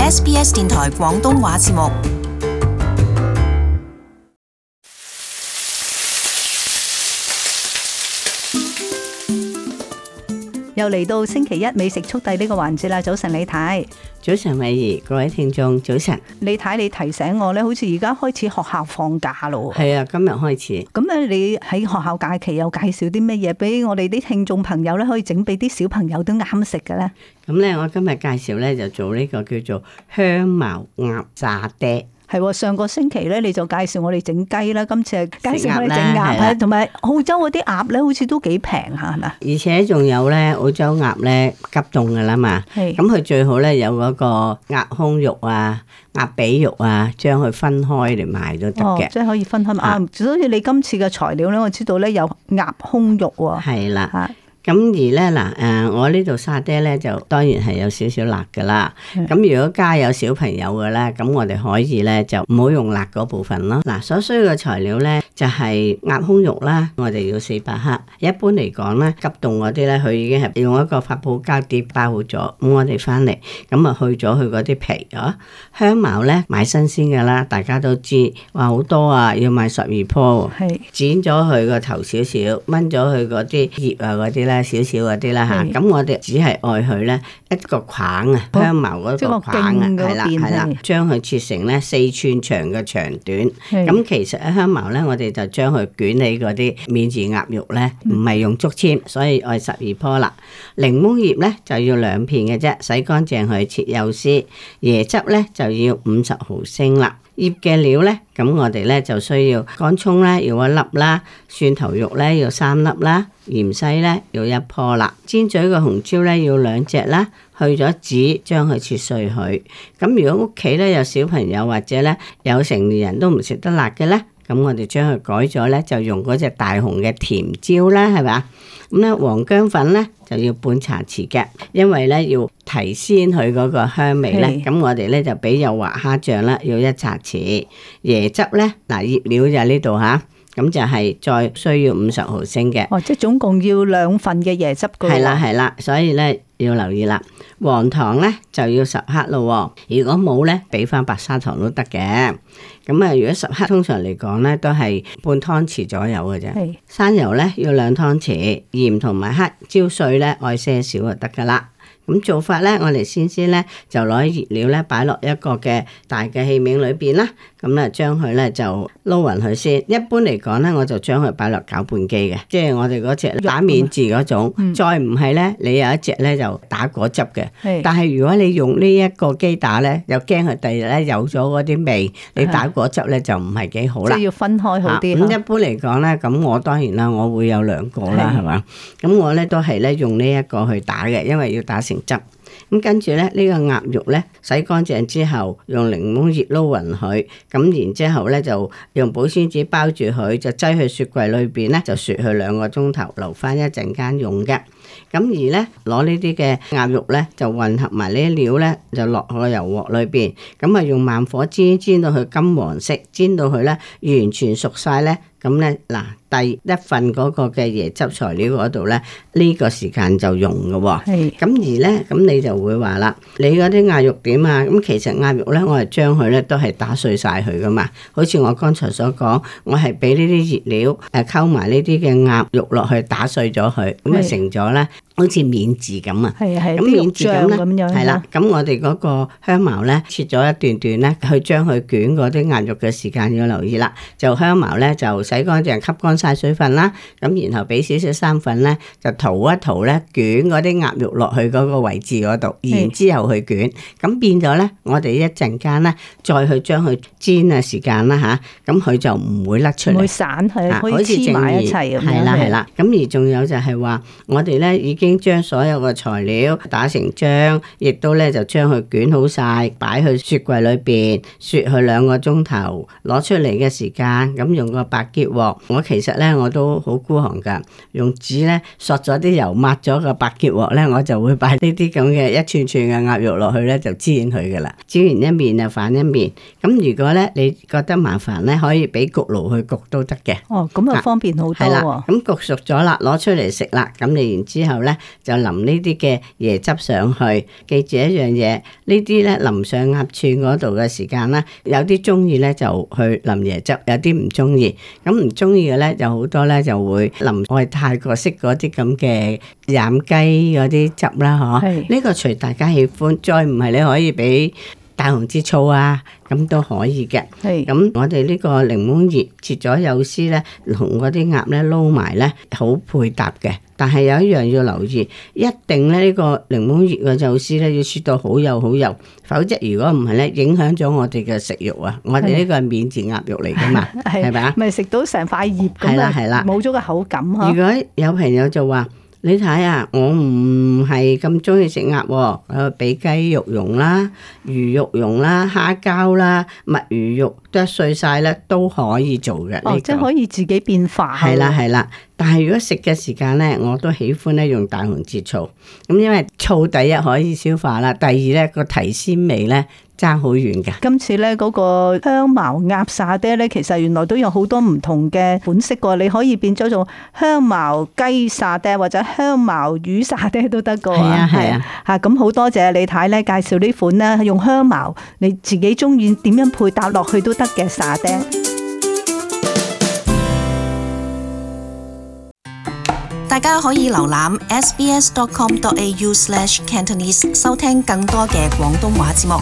SBS 電台廣東話節目。又嚟到星期一美食速遞呢個環節啦！早晨李太，早晨美儀，各位聽眾早晨。李太，你提醒我咧，好似而家開始學校放假咯。係啊，今日開始。咁咧，你喺學校假期又介紹啲乜嘢俾我哋啲聽眾朋友咧，可以整俾啲小朋友都啱食嘅咧？咁咧，我今日介紹咧就做呢個叫做香茅鴨沙爹。係上個星期咧，你就介紹我哋整雞啦，今次係介紹我哋整鴨，同埋澳洲嗰啲鴨咧，好似都幾平下，係咪？而且仲有咧，澳洲鴨咧急凍噶啦嘛，咁佢最好咧有嗰個鴨胸肉啊、鴨髀肉啊，將佢分開嚟賣都得嘅。即係可以分開賣。所以你今次嘅材料咧，我知道咧有鴨胸肉喎。係啦。咁而咧嗱，我呢度沙爹咧就當然係有少少辣噶啦。咁如果家有小朋友嘅咧，咁我哋可以咧就唔好用辣嗰部分咯。嗱，所需嘅材料咧就係鴨胸肉啦，我哋要400克。一般嚟講咧，急凍嗰啲咧，佢已經係用一個發泡膠碟包好咗。咁我哋翻嚟咁啊去咗佢嗰啲皮啊。香茅咧買新鮮嘅啦，大家都知話好多啊，要買12棵。剪咗佢個頭少少，掹咗佢嗰啲葉啊嗰啲咧。少少嗰啲啦嚇，咁我哋只係愛佢咧一個框啊，香茅嗰個框啊，係啦，將佢切成咧4寸長嘅長短。咁其實喺香茅咧，我哋就將佢捲起嗰啲免治鴨肉咧，唔係用竹籤，所以愛12棵啦。檸檬葉咧就要2片嘅啫，洗乾淨佢切幼絲。椰汁咧就要50毫升啦。醃嘅料咧，咁我哋咧就需要乾葱咧要1粒啦，蒜頭肉咧要3粒啦，芫茜咧要1棵啦，尖嘴嘅紅椒咧要2隻啦，去咗籽將佢切碎佢。咁如果屋企咧有小朋友或者咧有成年人都唔食得辣嘅咧，咁我哋將佢改咗咧，就用嗰隻大紅嘅甜椒啦，係咪？咁咧黃薑粉咧就要半茶匙嘅，因為咧要提鮮佢嗰個香味咧。咁我哋咧就俾幼滑蝦醬啦，要1茶匙。椰汁咧，嗱醃料就喺呢度吓，咁就係再需要50毫升嘅。即係總共要2份嘅椰汁噶。係啦，所以咧要留意啦。黃糖咧就要10克咯，如果冇咧俾翻白砂糖都得嘅。咁啊，如果10克通常嚟講咧都係半湯匙左右嘅啫。生油咧要2湯匙，鹽同埋黑椒碎咧愛些少就得噶啦。咁做法咧，我哋先咧就攞啲熱料咧擺落一個嘅大嘅器皿裏邊啦。咁咧將佢咧就撈勻佢先。一般嚟講咧，我就將佢擺落攪拌機嘅，即係我哋嗰隻打面字嗰種。再唔係咧，你有一隻咧就打果汁嘅。但係如果你用呢一個機打咧，又驚佢第二日咧有咗嗰啲味，你打果汁咧就唔係幾好啦。即係要分開好啲。咁一般嚟講咧，咁我當然啦，我會有2個啦，係嘛？咁我咧都係咧用呢一個去打嘅，因為要打成汁。咁跟住咧，呢個鴨肉咧洗乾淨之後，用檸檬葉撈勻佢，咁然之後咧就用保鮮紙包住佢，就擠去雪櫃裏邊咧，就雪佢2個鐘頭，留翻一陣間用嘅。咁而咧攞呢啲嘅鴨肉咧，就混合埋呢啲料咧，就落個油鑊裏邊，咁啊用慢火煎到佢金黃色，煎到佢咧完全熟晒咧。咁咧嗱，第一份嗰個嘅椰汁材料嗰度咧，呢個時間就用嘅喎。咁而咧，咁你就會話啦，你嗰啲鴨肉點啊？咁其實鴨肉咧，我係將佢咧都係打碎晒佢噶嘛。好似我剛才所講，我係俾呢啲熱料溝埋呢啲嘅鴨肉落去打碎咗佢，咁啊成咗咧好似免治咁啊。咁免治咁咧，係啦。咁我哋嗰個香茅咧切咗一段段咧，去將佢捲嗰啲鴨肉嘅時間要留意啦。就香茅咧就洗乾淨，吸乾晒水分啦，咁然後俾少少生粉咧，就塗一塗咧，捲嗰啲鴨肉落去嗰個位置嗰度，然之後去捲，咁變咗咧，我哋一陣間咧，再去將佢煎嘅時間啦吓，咁佢就唔會甩出嚟，唔會散係，可以黐埋一齊咁樣。係啦，咁而仲有就係話，我哋咧已經將所有嘅材料打成漿，亦都咧就將佢捲好晒，擺去雪櫃裏邊雪去2個鐘頭，攞出嚟嘅時間，咁用個白結鑊。我其實咧我都好孤寒噶，用紙咧索咗啲油抹咗個白結鑊咧，我就會擺呢啲咁嘅一串串嘅鴨肉落去咧，就煎佢噶啦。煎完一面就反一面。咁如果咧你覺得麻煩咧，可以俾焗爐去焗都得嘅。咁啊方便好多。係啦，咁焗熟咗啦，攞出嚟食啦。咁你然之後咧就淋呢啲嘅椰汁上去。記住一樣嘢，呢啲咧淋上鴨串嗰度嘅時間咧，有啲中意咧就去淋椰汁，有啲唔中意。咁唔中意嘅咧，就好多咧就會淋我哋泰國式嗰啲咁嘅染雞嗰啲汁啦，嗬。呢個隨大家喜歡，再唔係你可以俾大紅浙醋啊，咁都可以嘅。咁我哋呢個檸檬葉切咗幼絲咧，同嗰啲鴨咧撈埋咧，好配搭嘅。但係有一樣要留意，一定咧呢個檸檬葉嘅幼絲咧要切到好幼好幼，否則如果唔係咧，影響咗我哋嘅食慾啊！我哋呢個係免治鴨肉嚟噶嘛，係咪啊？咪食到成塊葉咁啊，冇咗個口感呵。如果有朋友就話，你睇啊，我唔係咁中意食鴨喎，俾雞肉蓉啦、魚肉蓉啦、蝦膠啦、墨魚肉剁碎晒咧都可以做嘅。即係可以自己變化。係啦，但係如果食嘅時間咧，我都喜歡咧用大紅浙醋。咁因為醋第一可以消化啦，第二咧個提鮮味咧爭好遠嘅。今次咧嗰個香茅鴨沙爹咧，其實原來都有好多唔同嘅款式喎。你可以變咗做香茅雞沙爹或者香茅魚沙爹都得㗎。係啊。嚇，咁好多謝李太咧介紹呢款咧用香茅，你自己中意點樣配搭落去都得嘅沙爹。大家可以瀏覽 sbs.com.au/cantonese 收聽更多嘅廣東話節目。